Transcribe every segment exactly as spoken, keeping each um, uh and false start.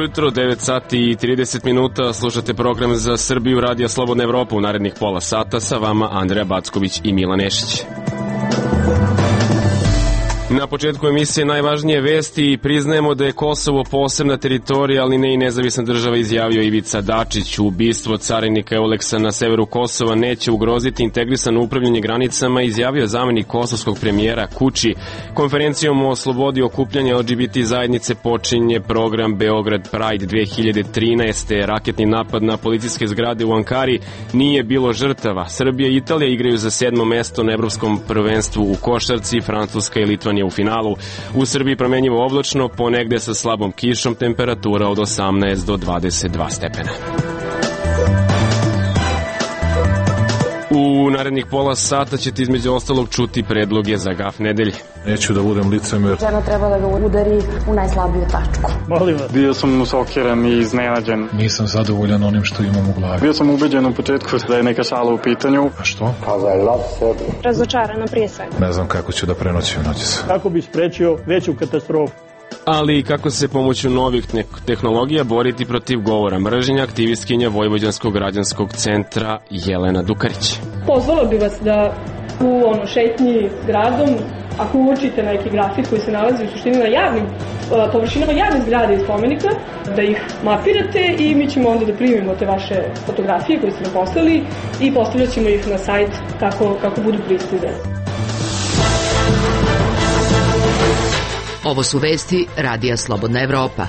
jutro, devet sati i trideset minuta, slušate program za Srbiju Radija Slobodna Evropa. U narednih pola sata sa vama Andreja Backović i Milan Nešić. Na početku emisije najvažnije vesti i priznajemo da je Kosovo posebna teritorija, ali ne i nezavisna država, izjavio Ivica Dačić. Ubistvo carinika Euleksa na severu Kosova neće ugroziti integrisano upravljanje granicama, izjavio zamenik kosovskog premijera Kuči. Konferencijom o slobodi okupljanja L G B T zajednice počinje program Beograd Pride dve hiljade trinaeste. Raketni napad na policijske zgrade u Ankari, nije bilo žrtava. Srbija i Italija igraju za sedmo mesto na evropskom prvenstvu u košarci, Francuska i Litvanija u finalu. U Srbiji promenjivo oblačno, ponegde sa slabom kišom, temperatura od osamnaest do dvadeset dva stepena. U narednih pola sata ćete između ostalog čuti predloge za gaf nedelje. Neću da budem licemer. Žena treba da ga udari u najslabiju tačku. Molim vas. Bio sam usokiran i iznenađen. Nisam zadovoljan onim što imam u glavi. Bio sam ubeđen u početku da je neka šala u pitanju. A što? Pa za lov sebi. Razočarana prije svega. Ne znam kako ću da prenoćim noćas. Kako bi sprečio veću katastrofu. Ali i kako se pomoću novih tehnologija boriti protiv govora mržnje, aktivistkinja Vojvođanskog građanskog centra Jelena Dukarić. Pozvala bi vas da u ono, šetnji gradom, ako uočite neki grafit koji se nalazi u suštini na javnim površinama javnih zgrada i spomenika, da ih mapirate i mi ćemo onda da primimo te vaše fotografije koje ste nam poslali i postavljat ćemo ih na sajt kako, kako budu pristizane. Ovo su vesti Radija Slobodna Evropa.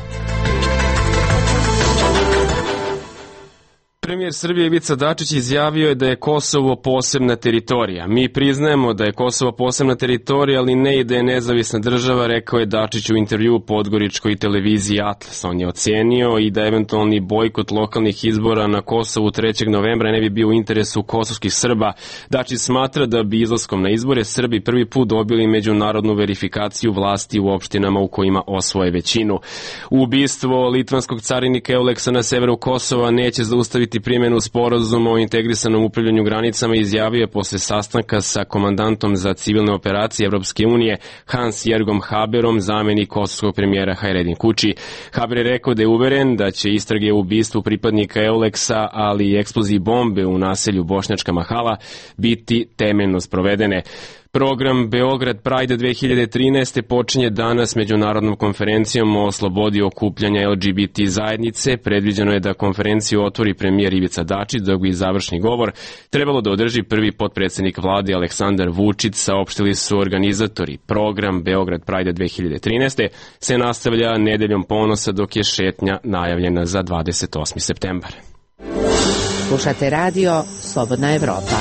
Premijer Srbije Ivica Dačić izjavio je da je Kosovo posebna teritorija. Mi priznajemo da je Kosovo posebna teritorija, ali ne i da je nezavisna država, rekao je Dačić u intervjuu podgoričkoj televiziji Atlas. On je ocenio i da eventualni bojkot lokalnih izbora na Kosovu trećeg novembra ne bi bio u interesu kosovskih Srba. Dačić smatra da bi izlaskom na izbore Srbi prvi put dobili međunarodnu verifikaciju vlasti u opštinama u kojima osvoje većinu. Ubistvo litvanskog carinika Euleksa na severu Kosova neće zaustaviti primjenu sporazuma o integrisanom upravljanju granicama, izjavio je posle sastanka sa komandantom za civilne operacije Evropske unije Hans Jergom Haberom, zamenik kosovskog premijera Hajredin Kuči. Haber je rekao da je uveren da će istrage o ubistvu pripadnika Euleksa, ali i eksploziji bombe u naselju Bošnjačka Mahala biti temeljno sprovedene. Program Beograd Pride dve hiljade trinaeste počinje danas međunarodnom konferencijom o slobodi okupljanja L G B T zajednice. Predviđeno je da konferenciju otvori premijer Ivica Dačić, dok bi završni govor trebalo da održi prvi potpredsednik vlade Aleksandar Vučić, saopštili su organizatori. Program Beograd Pride dve hiljade trinaeste se nastavlja nedeljom ponosa, dok je šetnja najavljena za dvadeset osmi septembar. Slušate radio Slobodna Evropa.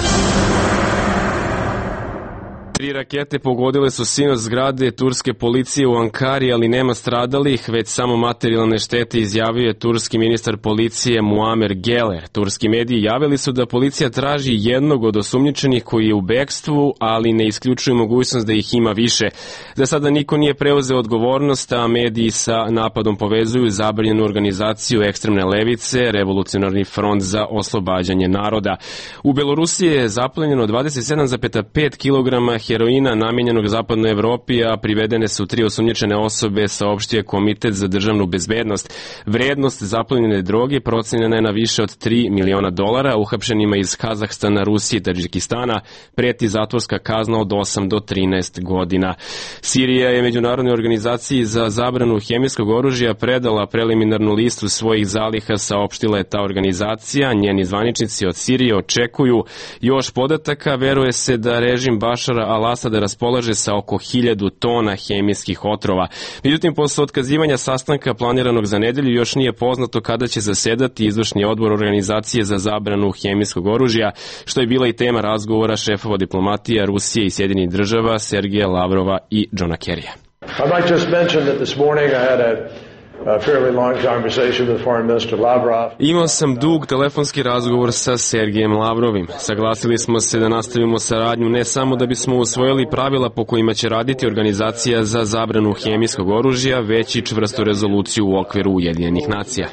Tri rakete pogodile su sinoć zgrade turske policije u Ankari, ali nema stradalih, već samo materijalne štete, izjavio je turski ministar policije Muamer Geler. Turski mediji javili su da policija traži jednog od osumnjičenih koji je u bekstvu, ali ne isključuju mogućnost da ih ima više. Za sada niko nije preuzeo odgovornost, a mediji sa napadom povezuju zabranjenu organizaciju ekstremne levice, Revolucionarni front za oslobađanje naroda. U Belorusiji je zaplenjeno dvadeset sedam zarez pet kilograma heroina namenjenog zapadnoj Evropi, a privedene su tri osumnjičene osobe, saopštio Komitet za državnu bezbednost. Vrednost zaplenjene droge procenjena je na više od tri miliona dolara. Uhapšenima iz Kazahstana, Rusije i Tadžikistana preti zatvorska kazna od osam do trinaest godina. Sirija je Međunarodnoj organizaciji za zabranu hemijskog oružja predala preliminarnu listu svojih zaliha, saopštila je ta organizacija. Njeni zvaničnici od Sirije očekuju još podataka. Veruje se da režim Bašara al-Asada raspolaže sa oko hiljadu tona hemijskih otrova. Međutim, posle otkazivanja sastanka planiranog za nedelju još nije poznato kada će zasedati izvršni odbor organizacije za zabranu hemijskog oružja, što je bila i tema razgovora šefova diplomatija Rusije i Sjedinjenih država Sergeja Lavrova i Johna Kerrya. I might just mention that this morning I had a Imao sam dug telefonski razgovor sa Sergejem Lavrovim. Saglasili smo se da nastavimo saradnju ne samo da bismo usvojili pravila po kojima će raditi organizacija za zabranu hemijskog oružja, već i čvrstu rezoluciju u okviru Ujedinjenih nacija.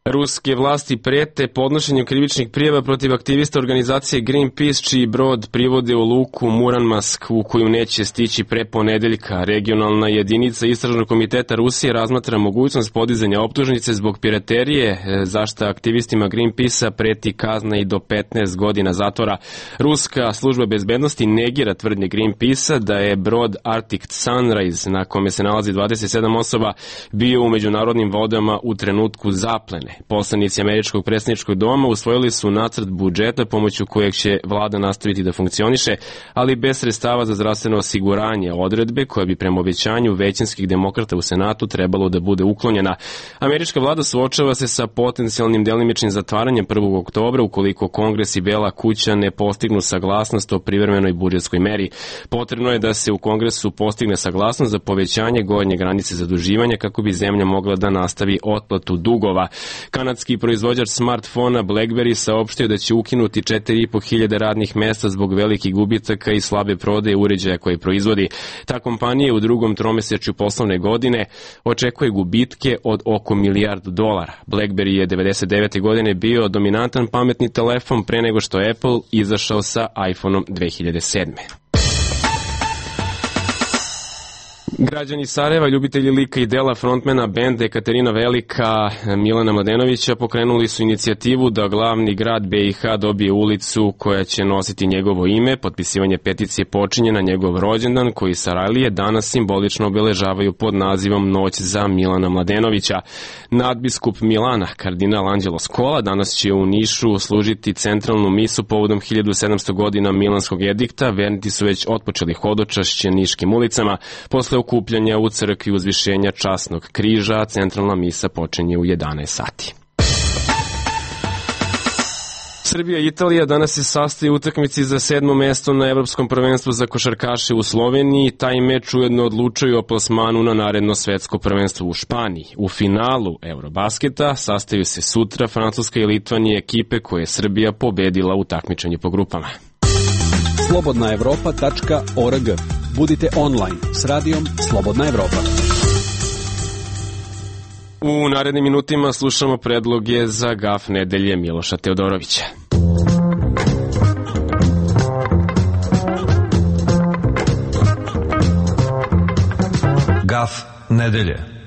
Ruske vlasti prete podnošenjem krivičnih prijava protiv aktivista organizacije Greenpeace, čiji brod privode u luku Muranmask, u koju neće stići pre ponedeljka. Regionalna jedinica Istražnog komiteta Rusije razmatra mogućnost podizanja optužnice zbog piraterije, zašto aktivistima Greenpeace-a preti kazna i do petnaest godina zatvora. Ruska služba bezbednosti negira tvrdnje Greenpeace-a da je brod Arctic Sunrise, na kome se nalazi dvadeset sedam osoba, bio u međunarodnim vodama u trenutku zaplene. Poslanici Američkog predsjedničkog doma usvojili su nacrt budžeta pomoću kojeg će vlada nastaviti da funkcioniše, ali bez sredstava za zdravstveno osiguranje, odredbe koja bi prema obećanju većinskih demokrata u Senatu trebalo da bude uklonjena. Američka vlada suočava se sa potencijalnim delimičnim zatvaranjem prvog oktobra ukoliko Kongres i Bela kuća ne postignu saglasnost o privremenoj budžetskoj meri. Potrebno je da se u Kongresu postigne saglasnost za povećanje gornje granice zaduživanja kako bi zemlja mogla da nastavi otplatu dugova. Kanadski proizvođač smartfona BlackBerry saopštio da će ukinuti četiri i po hiljade radnih mesta zbog velikih gubitaka i slabe prodaje uređaja koje proizvodi. Ta kompanija u drugom tromesečju poslovne godine očekuje gubitke od oko milijardu dolara. BlackBerry je devedeset devete godine bio dominantan pametni telefon pre nego što je Apple izašao sa iPhoneom dve hiljade sedme. Građani Sarajeva, ljubitelji lika i dela frontmena benda Ekaterina Velika Milana Mladenovića pokrenuli su inicijativu da glavni grad B i H dobije ulicu koja će nositi njegovo ime. Potpisivanje peticije počinje na njegov rođendan koji Sarajlije danas simbolično obeležavaju pod nazivom Noć za Milana Mladenovića. Nadbiskup Milana, kardinal Anđelo Skola, danas će u Nišu služiti centralnu misu povodom hiljadu sedamsto godina Milanskog edikta. Vernici su već otpočeli hodočašće niškim ulicama. Posle okupljanja u crkvi uzvišenja časnog križa, centralna misa počinje u jedanaest sati. Srbija i Italija danas se sastaju u utakmici za sedmo mesto na Evropskom prvenstvu za košarkaše u Sloveniji. Taj meč ujedno odlučuju o plasmanu na naredno svetsko prvenstvo u Španiji. U finalu Eurobasketa sastaju se sutra Francuska i Litvanija, ekipe koje je Srbija pobedila u takmičenju po grupama. slobodna evropa tačka org. Budite online s radijom Slobodna Evropa. U narednim minutima slušamo predloge za gaf nedelje Miloša Teodorovića. Gaf nedelje.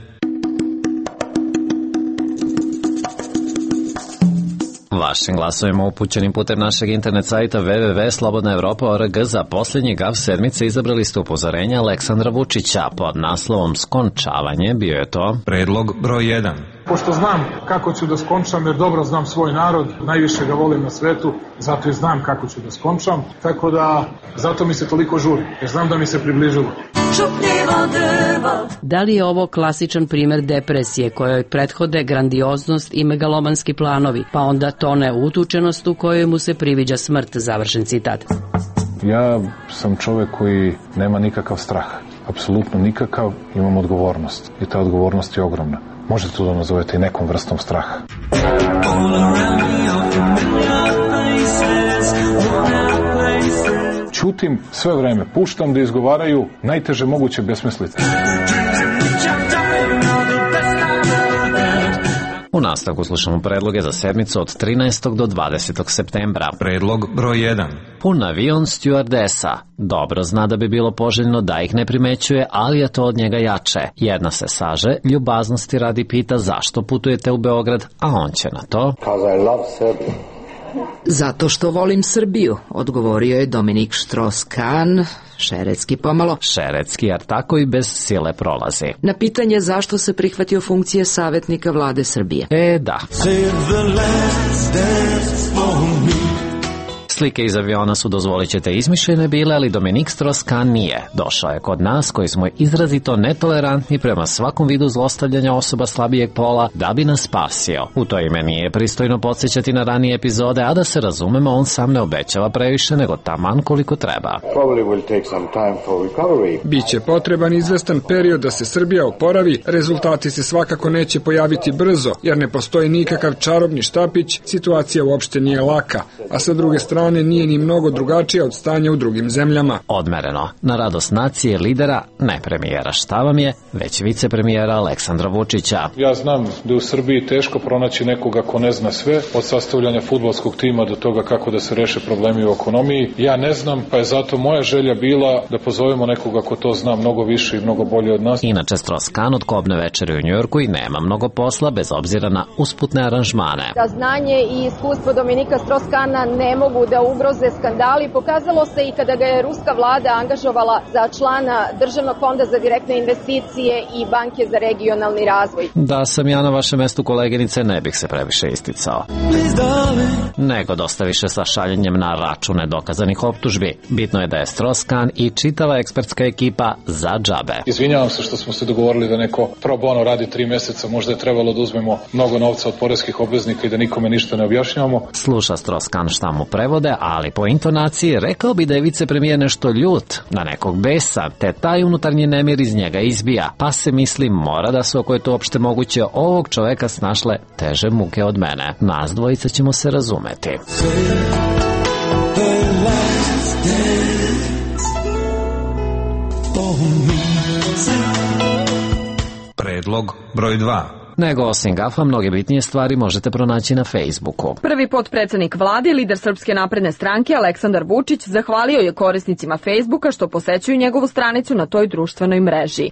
Vašim glasovima upućenim putem našeg internet sajta w w w tačka slobodna evropa tačka org za posljednji gaf sedmice izabrali ste upozorenja Aleksandra Vučića. Pod naslovom Skončavanje bio je to predlog broj jedan. Pošto znam kako ću da skončam, jer dobro znam svoj narod, najviše ga volim na svetu, zato i znam kako ću da skončam, tako da zato mi se toliko žuri, jer znam da mi se približilo. Da li je ovo klasičan primer depresije kojoj prethode grandioznost i megalomanski planovi, pa onda tone utučenost u kojoj mu se priviđa smrt, završen citat. Ja sam čovek koji nema nikakav strah, apsolutno nikakav, imam odgovornost i ta odgovornost je ogromna. Možete to da nazovete i nekom vrstom straha. Ćutim sve vreme, puštam da izgovaraju najteže moguće besmislice. U nastavku slušamo predloge za sedmicu od trinaestog do dvadesetog septembra. Predlog broj jedan. Pun avion stjuardesa. Dobro zna da bi bilo poželjno da ih ne primećuje, ali je to od njega jače. Jedna se saže, ljubaznosti radi pita zašto putujete u Beograd, a on će na to... Because I love Serbia. Zato što volim Srbiju, odgovorio je Dominik Štros-Kan, šeretski pomalo. Šeretski, jer tako i bez sile prolazi. Na pitanje zašto se prihvatio funkcije savjetnika vlade Srbije. E, da. Slike iz aviona su, dozvolit ćete, izmišljene bile, ali Dominik Štros-Kan nije. Došao je kod nas, koji smo izrazito netolerantni prema svakom vidu zlostavljanja osoba slabijeg pola, da bi nas spasio. U to ime nije pristojno podsjećati na ranije epizode, a da se razumemo, on sam ne obećava previše, nego taman koliko treba. Biće potreban izvestan period da se Srbija oporavi, rezultati se svakako neće pojaviti brzo, jer ne postoji nikakav čarobni štapić, situacija uopšte nije laka, a sa druge strane strane nije ni mnogo drugačija od stanja u drugim zemljama. Odmereno, na radost nacije lidera, ne premijera šta vam je, već vicepremijera Aleksandra Vučića. Ja znam da je u Srbiji teško pronaći nekoga ko ne zna sve, od sastavljanja fudbalskog tima do toga kako da se reše problemi u ekonomiji. Ja ne znam, pa je zato moja želja bila da pozovemo nekoga ko to zna mnogo više i mnogo bolje od nas. Inače, Strauss-Kahn od kobne večeri u Njujorku i nema mnogo posla bez obzira na usputne aranžmane. Da znanje i iskustvo Dominika Strauss-Kahna ne mogu da ugroze skandali, pokazalo se i kada ga je ruska vlada angažovala za člana Državnog fonda za direktne investicije i Banke za regionalni razvoj. Da sam ja na vašem mestu, koleginice, ne bih se previše isticao. Nego dosta više sa šaljenjem na račune dokazanih optužbi. Bitno je da je Strauss-Kahn i čitava ekspertska ekipa za džabe. Izvinjavam se što smo se dogovorili da neko pro bono radi tri meseca, možda je trebalo da uzmemo mnogo novca od poreskih obveznika i da nikome ništa ne objašnjavamo. Sluša Strauss-Kahn šta mu prevode, ali po intonaciji rekao bi da je vicepremijer nešto ljut, na nekog besa, te taj unutarnji nemir iz njega izbija, pa se misli mora da su, ako je to uopšte moguće, ovog čoveka snašle teže muke od mene. Nas dvojica ćemo se razumeti. Predlog broj dva. Nego osim gafa, mnoge bitnije stvari možete pronaći na Facebooku. Prvi potpredsednik vlade, lider Srpske napredne stranke Aleksandar Vučić, zahvalio je korisnicima Facebooka što posećuju njegovu stranicu na toj društvenoj mreži.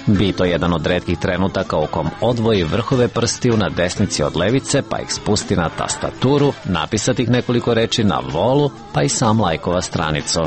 Bi to jedan od retkih trenutaka u kom odvoji vrhove prstiju na desnici od levice, pa ih spusti na tastaturu, napisati ih nekoliko reči na volu, pa i sam lajkova stranicu.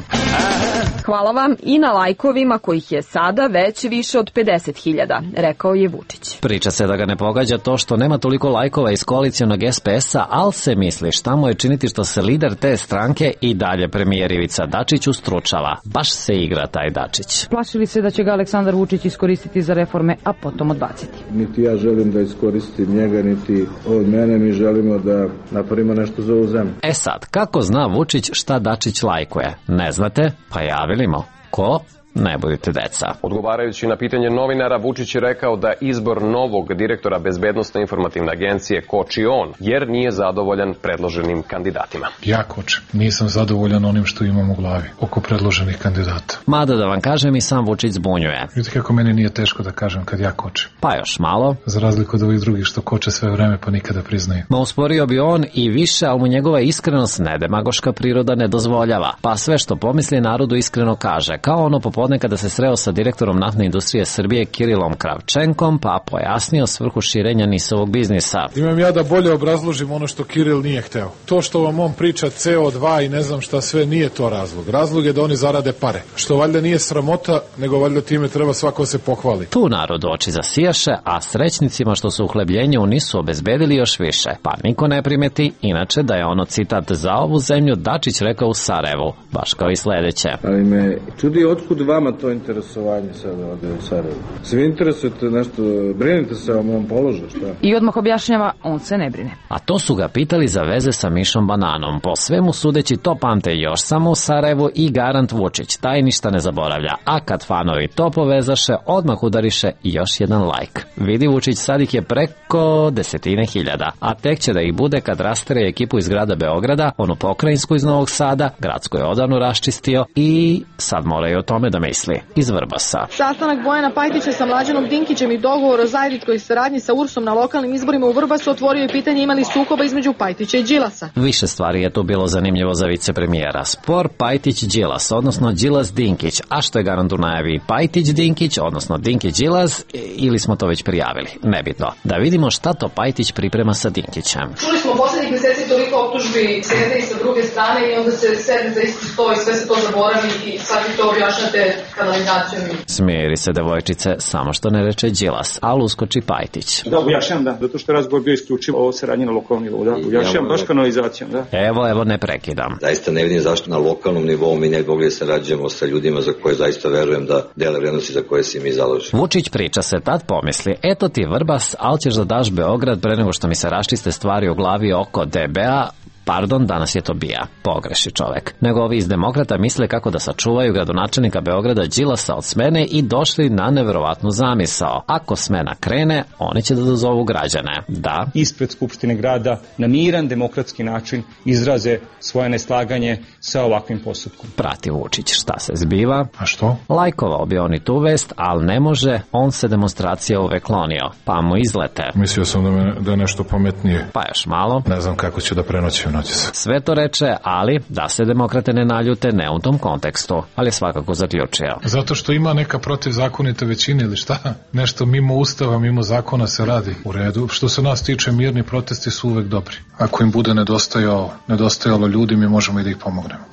Hvala vam i na lajkovima kojih je sada već više od pedeset hiljada, rekao je Vučić. Priča se da ga ne pogađa to što nema toliko lajkova iz koalicionog es pe es-a, ali se misli šta mu je činiti što se lider te stranke i dalje premijer Ivica Dačić ustručava. Baš se igra taj Dačić. Plašili se da će ga Aleksandar Vučić iskoristiti za reforme, a potom odbaciti. Niti ja želim da iskoristim njega, niti od mene. Mi želimo da napravimo nešto za ovu zemlju. E sad, kako zna Vučić šta Dačić lajkuje? Ne znate? Pa javimo. Ko? Ne budite deca. Odgovarajući na pitanje novinara, Vučić je rekao da izbor novog direktora Bezbednosne informativne agencije koči on, jer nije zadovoljan predloženim kandidatima. Ja kočim. Nisam zadovoljan onim što imam u glavi oko predloženih kandidata. Mada da vam kažem, i sam Vučić zbunjuje. Vidite kako meni nije teško da kažem kad ja kočim. Pa još malo. Za razliku od ovih drugih što koče sve vreme pa nikada priznaju. Ma usporio bi on i više, ali mu njegova iskrenost ne demagoška priroda ne dozvoljava. Pa sve što pomisli narodu iskreno kaže. Kao ono popodne kada se sreo sa direktorom naftne industrije Srbije Kirilom Kravčenkom, pa pojasnio svrhu širenja nisovog biznisa. Imam ja da bolje obrazložim ono što Kiril nije hteo. To što vam on priča ce o dva i ne znam šta sve, nije to razlog. Razlog je da oni zarade pare. Što valjda nije sramota, nego valjda time treba svako se pohvali. Tu narod oči zasijaše, a srećnicima što su uhlebljenje u nisu obezbedili još više. Pa niko ne primeti, inače da je ono citat za ovu zemlju Dačić rekao u Sarajevu, baš kao i sledeće. Ali me čudi otkud vama to interesovanje sada ovde u Sarajevu. Svi interesujete nešto, brinite se o mom položaju, šta? I odmah objašnjava, on se ne brine. A to su ga pitali za veze sa Mišom Bananom. Po svemu sudeći to pamte još samo u Sarajevu i garant Vučić, taj ništa ne zaboravlja. A kad fanovi to povezaše, odmah udariše još jedan lajk. Vidi Vučić, sad ih je preko desetine hiljada, a tek će da ih bude kad rastere ekipu iz grada Beograda, onu pokrajinsku iz Novog Sada, gradsku je odavno raščistio i sad moraju o tome da misli. Iz Vrbasa. Sastanak Bojana Pajtića sa Mlađanom Dinkićem i dogovor o zajedničkoj saradnji sa Ursom na lokalnim izborima u Vrbasu otvorio je pitanje imali sukoba između Pajtića i Đilasa. Više stvari je tu bilo zanimljivo za vicepremijera. Spor Pajtić-Đilas, odnosno Đilas-Dinkić, a što je garant u najavi Pajtić-Dinkić, odnosno Dinkić-Đilas, ili smo to već prijavili, nebitno. Da vidimo šta to Pajtić priprema sa Dinkićem. Čuli smo poslednjih meseci toliko optužbi s jedne i sa druge strane i onda se sedne za isti sto i sve se to zaboravi i sad vi to objašnjate kanalizacijom. Smiri se devojčice, samo što ne reče Đilas, ali uskoči Pajtić. Da, objašnjam, da, zato što je razgovor bio isključivo o saradnji na lokalnom nivou, da, objašnjam baš kanalizacijom, da. Evo, evo, ne prekidam. Zaista ne vidim zašto na lokalnom nivou mi ne bi mogli da sarađujemo sa ljudima za koje zaista verujem da dele vrednosti za koje se mi zalažemo. Vučić priča se, tad pomisli, eto ti Vrbas, ali ćeš da daš Beograd pre nego što mi se raščiste stvari u glavi oko de be a, Pardon, danas je to bija. Pogreši čovek. Nego ovi iz Demokrata misle kako da sačuvaju gradonačelnika Beograda Đilasa od smene i došli na neverovatnu zamisao. Ako smena krene, oni će da dozovu građane. Da. Ispred Skupštine grada na miran demokratski način izraze svoje neslaganje sa ovakvim postupkom. Prati Vučić šta se zbiva. A što? Lajkovao bi on i tu vest, ali ne može, on se demonstracija uvek klonio, pa mu izlete. Mislio sam da, me, da je nešto pametnije. Pa još malo. Ne znam kako ću da prenoćim noćas. Sve to reče, ali da se demokrate ne naljute, ne u tom kontekstu, ali je svakako zaključio. Zato što ima neka protivzakonita većina ili šta? Nešto mimo ustava, mimo zakona se radi. U redu. Što se nas tiče, mirni protesti su uvek dobri. Ako im bude nedostajalo, nedostajalo ljudi, mi možemo i da ih pomognemo.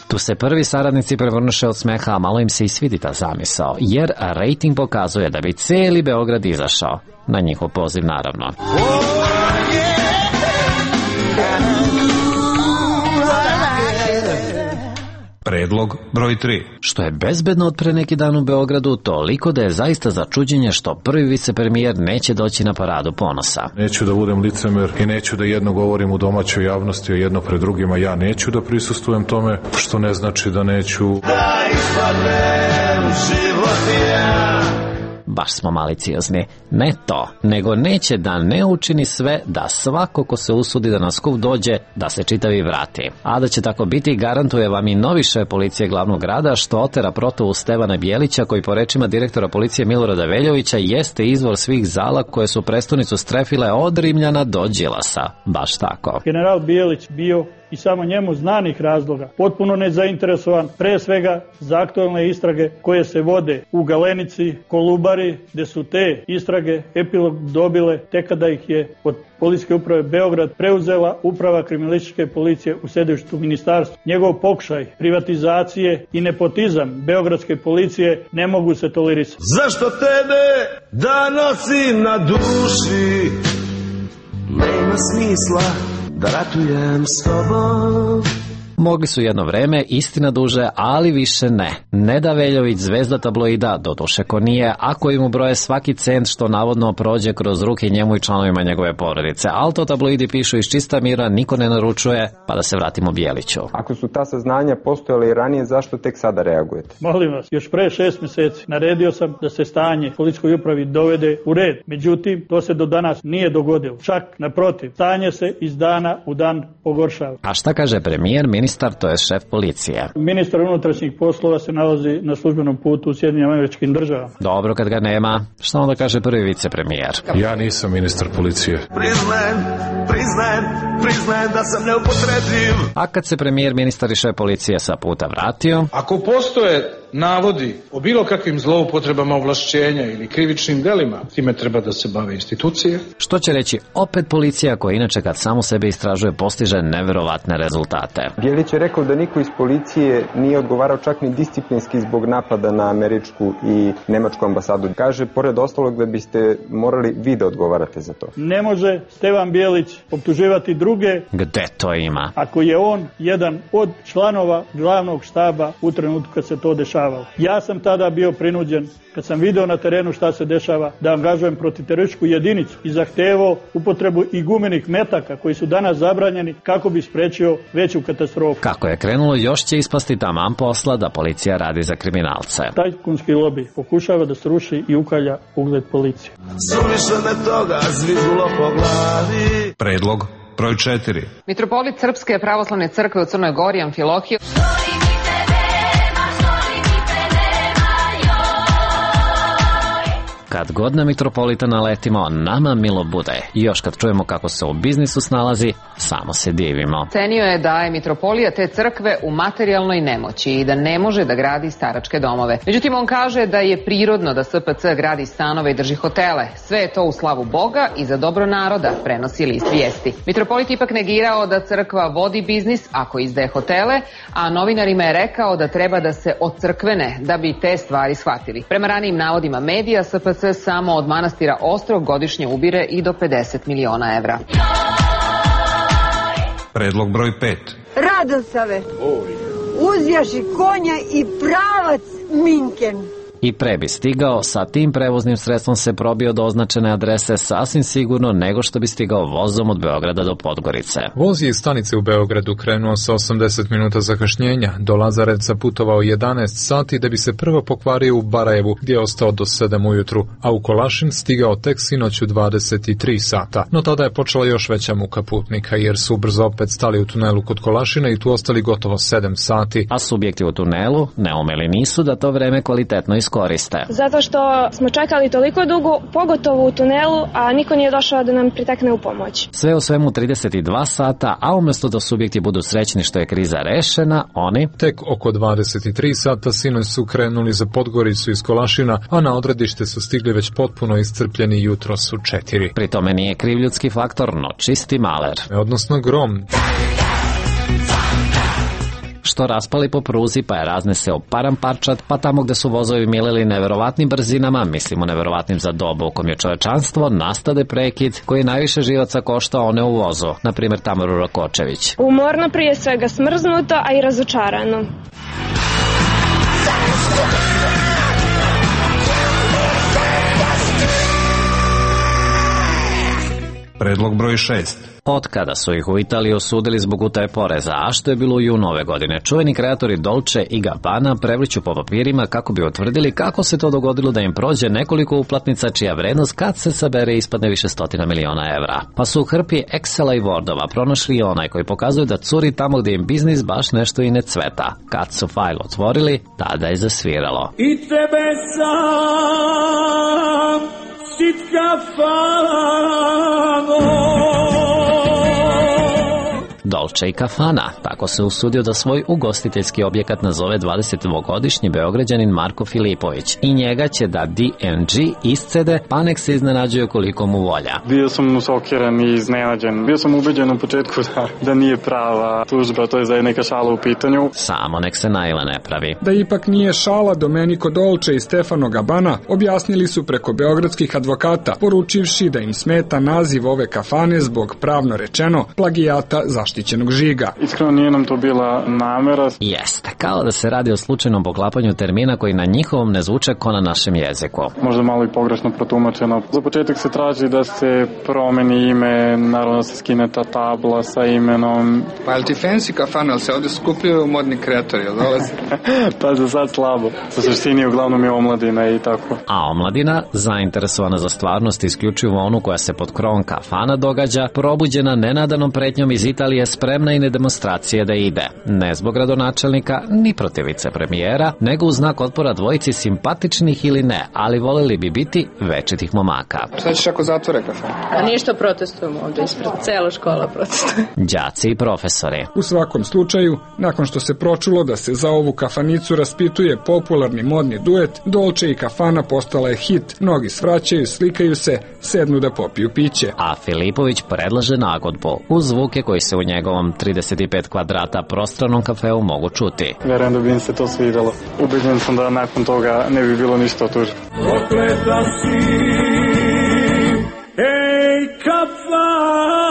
Tu se prvi saradnici prevrnuše od smeha, a malo im se i svidi ta zamisao, jer rejting pokazuje da bi cijeli Beograd izašao. Na njihov poziv, naravno. Predlog broj tri. Što je bezbedno od pre neki dan u Beogradu, toliko da je zaista za čuđenje što prvi vicepremijer neće doći na paradu ponosa. Neću da budem licemer i neću da jedno govorim u domaćoj javnosti, a jedno pred drugima. Ja neću da prisustvujem tome, što ne znači da neću... Da ispadnem životinja. Baš smo maliciozni. Ne to, nego neće da ne učini sve da svako ko se usudi da na skup dođe, da se čitavi vrati. A da će tako biti, garantuje vam i novi šef policije glavnog grada, što otera protovu Stevana Bjelića, koji po rečima direktora policije Milorada Veljovića jeste izvor svih zala koje su prestonicu strefile od Rimljana do Đilasa. Baš tako. General Bjelić bio i samo njemu znanih razloga potpuno nezainteresovan, pre svega za aktualne istrage koje se vode u Galenici, Kolubari, gde su te istrage epilog dobile tek kada ih je od Policijske uprave Beograd preuzela uprava kriminalističke policije u sedištu ministarstva. Njegov pokušaj privatizacije i nepotizam beogradske policije ne mogu se tolerisati. Zašto tebe da nosim na duši? Nema smisla da ratujem s tobom. Mogli su jedno vreme, istina duže, ali više ne. Neda Veljović, zvezda tabloida, doduše ko nije, ako im ubroje svaki cent što navodno prođe kroz ruke njemu i članovima njegove porodice. Ali to tabloidi pišu iz čista mira, niko ne naručuje, pa da se vratimo Bjeliću. Ako su ta saznanja postojale i ranije, zašto tek sada reagujete? Molim vas, još pre šest meseci naredio sam da se stanje policijskoj upravi dovede u red. Međutim, to se do danas nije dogodilo. Čak naprotiv, stanje se iz dana u dan pogoršava. A šta kaže premijer, ministar, to je šef policije? Ministar unutrašnjih poslova se nalazi na službenom putu u Sjedinjenim Američkim Državama. Dobro, kad ga nema, šta onda kaže prvi vicepremijer? Ja nisam ministar policije. Priznajem, priznajem, priznajem da sam neupotrebljiv. A kad se premijer, ministar i šef policije sa puta vratio? Ako postoje navodi o bilo kakvim zloupotrebama ovlašćenja ili krivičnim delima, time treba da se bave institucije. Što će reći opet policija, koja inače kad samo sebe istražuje postiže neverovatne rezultate. Bjelić je rekao da niko iz policije nije odgovarao čak ni disciplinski zbog napada na američku i nemačku ambasadu. Kaže, pored ostalog, da biste morali vi da odgovarate za to. Ne može Stevan Bjelić optuživati druge. Gde to ima? Ako je on jedan od članova glavnog štaba u trenutku kad se to dešavalo. Ja sam tada bio prinuđen, kad sam video na terenu šta se dešava, da angažujem protiterorističku jedinicu i zahtevao upotrebu i gumenih metaka koji su danas zabranjeni kako bi sprečio veću katastrofu. Kako je krenulo, još će ispasti taman posla da policija radi za kriminalce. Tajkunski lobi pokušava da sruši i ukalja ugled policije. Suviše me toga zvizgulo po glavi. Predlog broj četiri. Mitropolit Srpske pravoslavne crkve u Crnoj Gori Amfilohije kad god na mitropolita naletimo, nama milo bude. I još kad čujemo kako se u biznisu snalazi, samo se divimo. Cenio je da je mitropolija te crkve u materijalnoj nemoći i da ne može da gradi staračke domove. Međutim, on kaže da je prirodno da S P C gradi stanove i drži hotele. Sve je to u slavu Boga i za dobro naroda, prenosi list Vijesti. Mitropolit ipak negirao da crkva vodi biznis ako izdaje hotele, a novinarima je rekao da treba da se ocrkvene da bi te stvari shvatili. Prema ranijim navodima medija, S P C samo od manastira Ostrog godišnje ubire i do pedeset miliona evra. Predlog broj pet. Radosave, uzjaši konja i pravac Minken. I pre bi stigao, sa tim prevoznim sredstvom se probio do označene adrese sasvim sigurno nego što bi stigao vozom od Beograda do Podgorice. Voz je iz stanice u Beogradu krenuo sa osamdeset minuta zakašnjenja, do Lazarevca putovao jedanaest sati da bi se prvo pokvario u Barajevu gdje je ostao do sedam ujutru, a u Kolašin stigao tek sinoć u dvadeset tri sata. No tada je počela još veća muka putnika jer su brzo opet stali u tunelu kod Kolašina i tu ostali gotovo sedam sati. A subjekti u tunelu neumeli nisu da to vreme kvalitetno iskoriste. Zato što smo čekali toliko dugo, pogotovo u tunelu, a niko nije došao da nam pritekne u pomoć. Sve u svemu trideset dva sata, a umjesto da subjekti budu srećni što je kriza rešena, oni... Tek oko dvadeset tri sata sinoć su krenuli za Podgoricu iz Kolašina, a na odredište su stigli već potpuno iscrpljeni jutros u četiri. Pri tome nije kriv ljudski faktor, no čisti maler. Odnosno grom. Što raspali po pruzi pa je razneseo paramparčat, pa tamo gde su vozovi milili neverovatnim brzinama, mislimo neverovatnim za dobu u kom je čovečanstvo, nastade prekid koji najviše živaca koštao one u vozu, na primjer Tamaru Rakočević. Umorno, prije svega smrznuto, a i razočarano. Predlog broj šest. Od kada su ih u Italiji osudili zbog utaje poreza, a što je bilo u junu ove godine, čuveni kreatori Dolce i Gabbana prevrću po papirima kako bi utvrdili kako se to dogodilo da im prođe nekoliko uplatnica čija vrednost kad se sabere ispadne više stotina miliona evra. Pa su u hrpi Excela i Wordova pronašli onaj koji pokazuje da curi tamo gdje im biznis baš nešto i ne cveta. Kad su fajl otvorili, tada je zasviralo. I tebe sam sitka fano. Dolce i Kafana, tako se usudio da svoj ugostiteljski objekat nazove dvadesetdvogodišnji Beograđanin Marko Filipović. I njega će da D and G iscede, pa nek se iznenađuje koliko mu volja. Bio sam usokiran i iznenađen. Bio sam ubeđen u početku da, da nije prava tužba, to je da je neka šala u pitanju. Samo nek se najla ne pravi. Da ipak nije šala, Domenico Dolce i Stefano Gabbana objasnili su preko beogradskih advokata, poručivši da im smeta naziv ove kafane zbog, pravno rečeno, plagijata zaštićenog žiga. Iskreno nije nam to bila namera. Jeste, kao da se radi o slučajnom poklapanju termina koji na njihovom ne zvuče ko na našem jeziku. Možda malo i pogrešno protumačeno. Za početak se traži da se promeni ime, naravno da se skine ta tabla sa imenom. Pa je li ti fancy kafana, ali se ovdje skupljaju modni kreatori, jel dolazi? Pa za sad slabo. U suštini uglavnom je omladina i tako. A omladina, zainteresovana za stvarnost isključivo onu koja se pod krovom kafana događa, probuđena nenadanom pretnjom iz Italije, spremna i na demonstracije da ide. Ne zbog gradonačelnika, ni protiv vicepremijera, nego u znak otpora dvojici simpatičnih ili ne, ali voleli bi biti večitih momaka. Šta ćeš ako zatvore kafan? A ništa, protestujemo ovdje ispred, cela škola protestuje. Đaci i profesori. U svakom slučaju, nakon što se pročulo da se za ovu kafanicu raspituje popularni modni duet, Dolce i Kafana postala je hit. Mnogi svraćaju, slikaju se, sednu da popiju piće. A Filipović predlaže nagodbu uz zvuke koji se u njegovom trideset pet kvadrata prostranom kafeu mogu čuti. Verujem da bi im se to svidjelo. Ubeđen sam da nakon toga ne bi bilo ništa od tužbe. Prokleta si, ej kafano.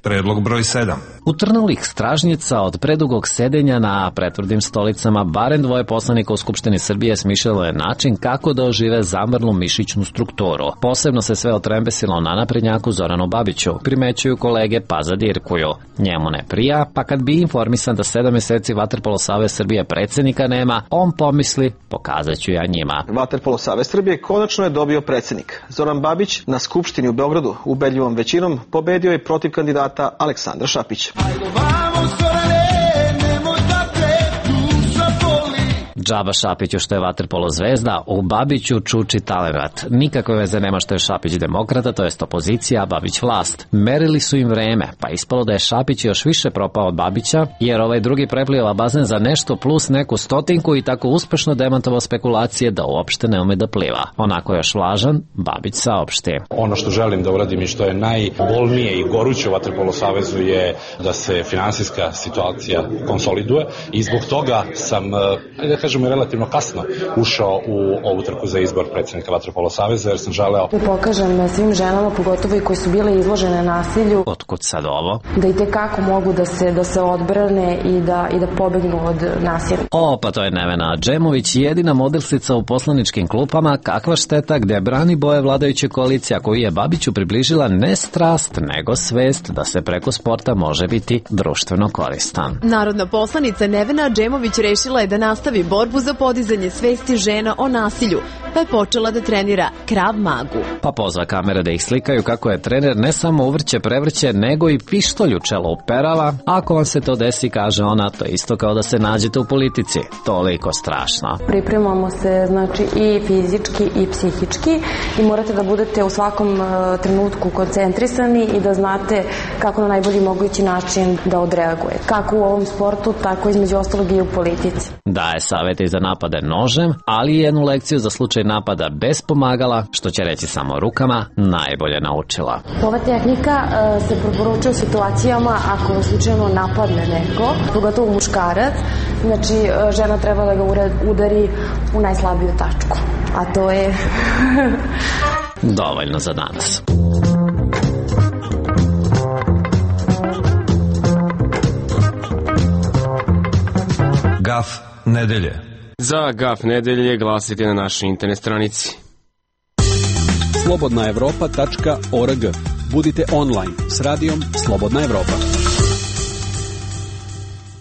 Predlog broj sedam. Utrnulih stražnjica od predugog sedenja na pretvrdim stolicama barem dvoje poslanika u Skupštini Srbije smišljalo je način kako da ožive zamrlu mišićnu strukturu. Posebno se sve otrembesilo na naprednjaku Zoranu Babiću, primećuju kolege pa zadirkuju. Njemu ne prija, pa kad bi informisan da sedam meseci Vaterpolo Savez Srbije predsjednika nema, on pomisli, pokazat ću ja njima. Vaterpolo Savez Srbije konačno je dobio predsjednik. Zoran Babić na Skupštini u Beogradu ubedljivom većinom pobedio je protiv kandidata Aleksandra Šapića. Džaba Šapiću što je vaterpolo zvezda, u Babiću čuči talenat. Nikakve veze nema što je Šapić demokrata, to jest opozicija, a Babić vlast. Merili su im vreme, pa ispalo da je Šapić još više propao od Babića, jer ovaj drugi preplio bazen za nešto plus neku stotinku i tako uspešno demantovao spekulacije da uopšte ne ume da pliva. Onako još vlažan, Babić saopšti. Ono što želim da uradim i što je najbolnije i goruće u Vaterpolo savezu je da se finansijska situacija konsoliduje i zbog toga sam, da kažem, kažem, relativno kasno ušao u ovu trku za izbor predsjednika Vaterpolo saveza, jer sam želeo da pokažem svim ženama, pogotovo i koji su bile izložene nasilju. Otkud sad ovo? Da i tekako mogu da se, da se odbrane i da, i da pobegnu od nasilja. O, pa to je Nevena Džemović, jedina modelsica u poslaničkim klupama. Kakva šteta, gde brani boje vladajuće koalicija, koju je Babiću približila ne strast, nego svest da se preko sporta može biti društveno koristan. Narodna poslanica Nevena Džemović rešila je da nastavi borbu za podizanje svesti žena o nasilju, pa je počela da trenira Krav Magu. Pa pozva kamere da ih slikaju kako je trener ne samo uvrće prevrće, nego i pištolj u čelo uperava. Ako vam se to desi, kaže ona, to je isto kao da se nađete u politici. Toliko strašno. Pripremamo se, znači, i fizički i psihički i morate da budete u svakom uh, trenutku koncentrisani i da znate kako na najbolji mogući način da odreagujete. Kako u ovom sportu, tako između ostalog i u politici. Daje savete za napade nožem, ali i jednu lekciju za slučaj napada bez pomagala, što će reći samo rukama, najbolje naučila. Ova tehnika uh, se preporučuje u situacijama ako slučajno napadne neko, pogotovo muškarac, znači uh, žena treba da ga udari u najslabiju tačku, a to je dovoljno za danas. Gaf nedelje. Za Gaf nedelje glasite na našoj internet stranici slobodna evropa tačka org. Budite online s radijom Slobodna Evropa.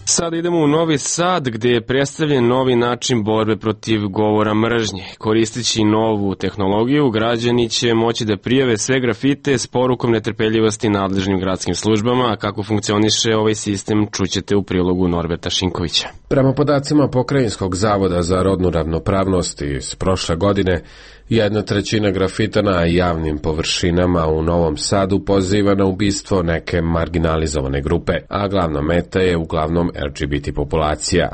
Sada idemo u Novi Sad, gdje je predstavljen novi način borbe protiv govora mržnje. Koristeći novu tehnologiju, građani će moći da prijave sve grafite s porukom netrpeljivosti nadležnim gradskim službama, a kako funkcioniše ovaj sistem čućete u prilogu Norberta Šinkovića. Prema podacima Pokrajinskog zavoda za rodnu ravnopravnost iz prošle godine, jedna trećina grafita na javnim površinama u Novom Sadu poziva na ubistvo neke marginalizovane grupe, a glavna meta je uglavnom L G B T populacija.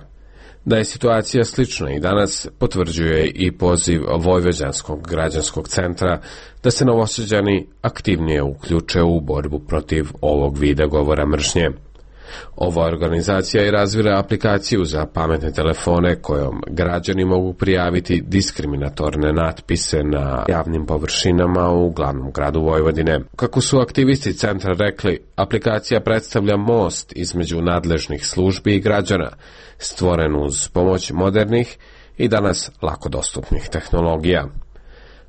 Da je situacija slična i danas potvrđuje i poziv Vojvođanskog građanskog centra da se Novosađani aktivnije uključe u borbu protiv ovog vida govora mržnje. Ova organizacija je razvila aplikaciju za pametne telefone kojom građani mogu prijaviti diskriminatorne natpise na javnim površinama u glavnom gradu Vojvodine. Kako su aktivisti centra rekli, aplikacija predstavlja most između nadležnih službi i građana, stvoren uz pomoć modernih i danas lako dostupnih tehnologija.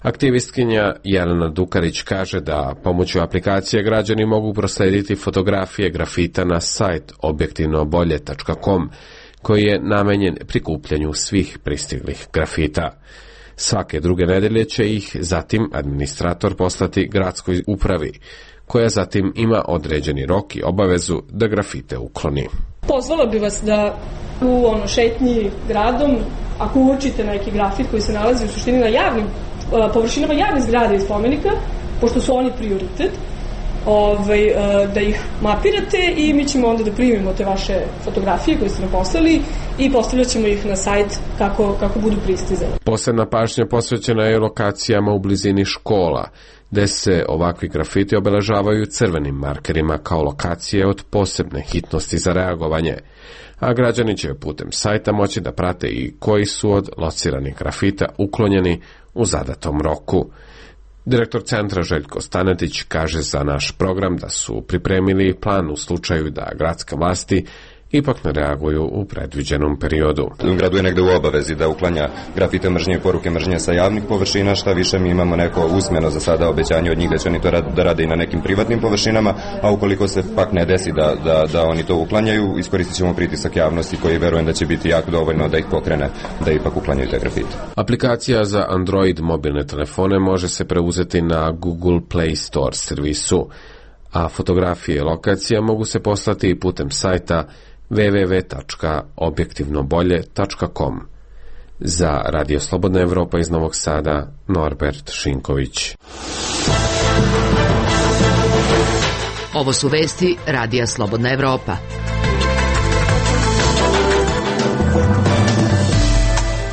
Aktivistkinja Jelena Dukarić kaže da pomoću aplikacije građani mogu proslediti fotografije grafita na sajt objektivno bolje tačka com, koji je namenjen prikupljanju svih pristiglih grafita. Svake druge nedelje će ih zatim administrator poslati gradskoj upravi, koja zatim ima određeni rok i obavezu da grafite ukloni. Pozvala bi vas da u ono šetnji gradom, ako uočite neki grafit koji se nalazi u suštini na javnim površinama javnih zgrada i spomenika, pošto su oni prioritet, ovaj, da ih mapirate i mi ćemo onda da primimo te vaše fotografije koje ste nam poslali i postavljat ćemo ih na sajt kako, kako budu pristizane. Posebna pažnja posvećena je lokacijama u blizini škola, gde se ovakvi grafiti obeležavaju crvenim markerima kao lokacije od posebne hitnosti za reagovanje, a građani će putem sajta moći da prate i koji su od lociranih grafita uklonjeni u zadatom roku. Direktor centra Željko Stanetić kaže za naš program da su pripremili plan u slučaju da gradske vlasti ipak ne reaguju u predviđenom periodu. Gradu je negde u obavezi da uklanja grafite mržnje i poruke mržnje sa javnih površina, šta više mi imamo neko usmeno za sada obećanje od njih da će oni to rad, da rade i na nekim privatnim površinama, a ukoliko se pak ne desi da, da, da oni to uklanjaju, iskoristit ćemo pritisak javnosti koji verujem da će biti jako dovoljno da ih pokrene da ipak uklanjaju te grafite. Aplikacija za Android mobilne telefone može se preuzeti na Google Play Store servisu, a fotografije lokacija mogu se poslati i putem sajta w w w tačka objektivno bolje tačka com. Za Radio Slobodna Evropa iz Novog Sada, Norbert Šinković. Ovo su vesti Radija Slobodna Evropa.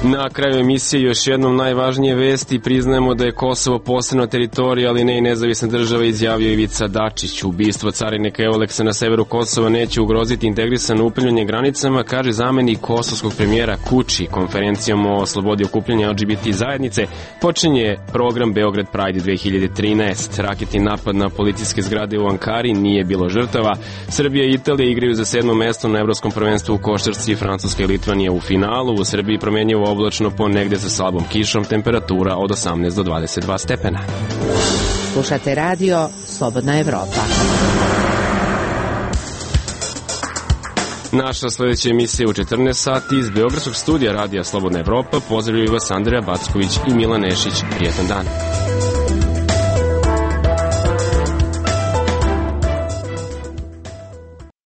Na kraju emisije još jednom najvažnije vesti. Priznajemo da je Kosovo posebna teritorija, ali ne i nezavisna država, izjavio Ivica Dačić. Ubistvo carinika Euleksa na severu Kosova neće ugroziti integrisano upravljanje granicama, kaže zamenik kosovskog premijera Kuči. Konferencijom o slobodi okupljanja L G B T zajednice počinje program Beograd Pride dve hiljade trinaeste. Raketni napad na policijske zgrade u Ankari, nije bilo žrtava. Srbija i Italija igraju za sedmo mesto na evropskom prvenstvu u košarci, Francuska i Litvanija u finalu. U Srbiji promenjivo oblačno, ponegde sa slabom kišom, temperatura od osamnaest do dvadeset dva stepena. Slušate radio Slobodna Evropa. Naša sledeća emisija u četrnaest sati iz Beogradskog studija radija Slobodna Evropa. Pozdravljaju vas Andreja Backović i Milan Nešić. Prijetan dan.